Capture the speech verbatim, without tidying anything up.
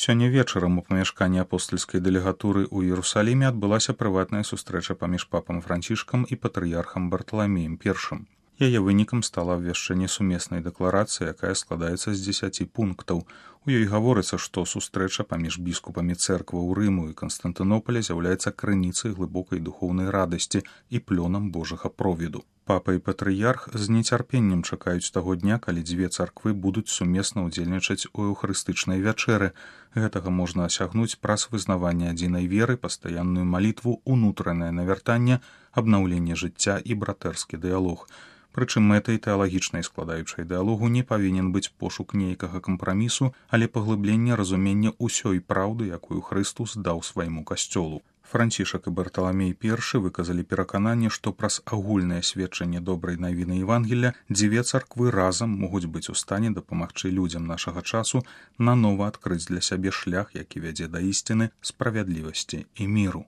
Сёння вечарам у памяшканні апостальскай дэлегатуры ў Іерусаліме адбылася прыватная сустрэча паміж папам Францішкам і патрыярхам Барталамеем першым. Яе вынікам стала абвяшчэнне сумеснай дэкларацыі, якая складаецца з дзесяці пунктаў. У ёй гаворыцца, што сустрэча паміж біскупамі цэркваў Рыму і Канстантынопаля з'яўляецца крыніцай глыбокай духоўнай радасці і плёнам Божага провіду. Папа і патрыярх з нецярпеннем чакаюць таго дня, калі дзве царквы будуць сумесна ўдзельнічаць у эўхарыстычнай вячэры. Гэтага можна асягнуць праз вызнаванне адзінай веры, пастаянную малітву, унутранае навяртанне, абнаўленне жыцця і братэрскі дыялог. Прычым мэтай тэалагічнай складаючай дыялогу не павінен быць пошук нейкага кампрамісу, але паглыбленне разумення ўсёй праўды, якую Хрыстус даў свайму касцёлу. Францішак і Барталамей першы выказалі перакананне, што праз агульнае сведчанне добрай навіны Евангелля дзве царквы разам могуць быць у стане дапамагчы людзям нашага часу нанова адкрыць для сябе шлях, які вядзе да ісціны, справядлівасці і міру.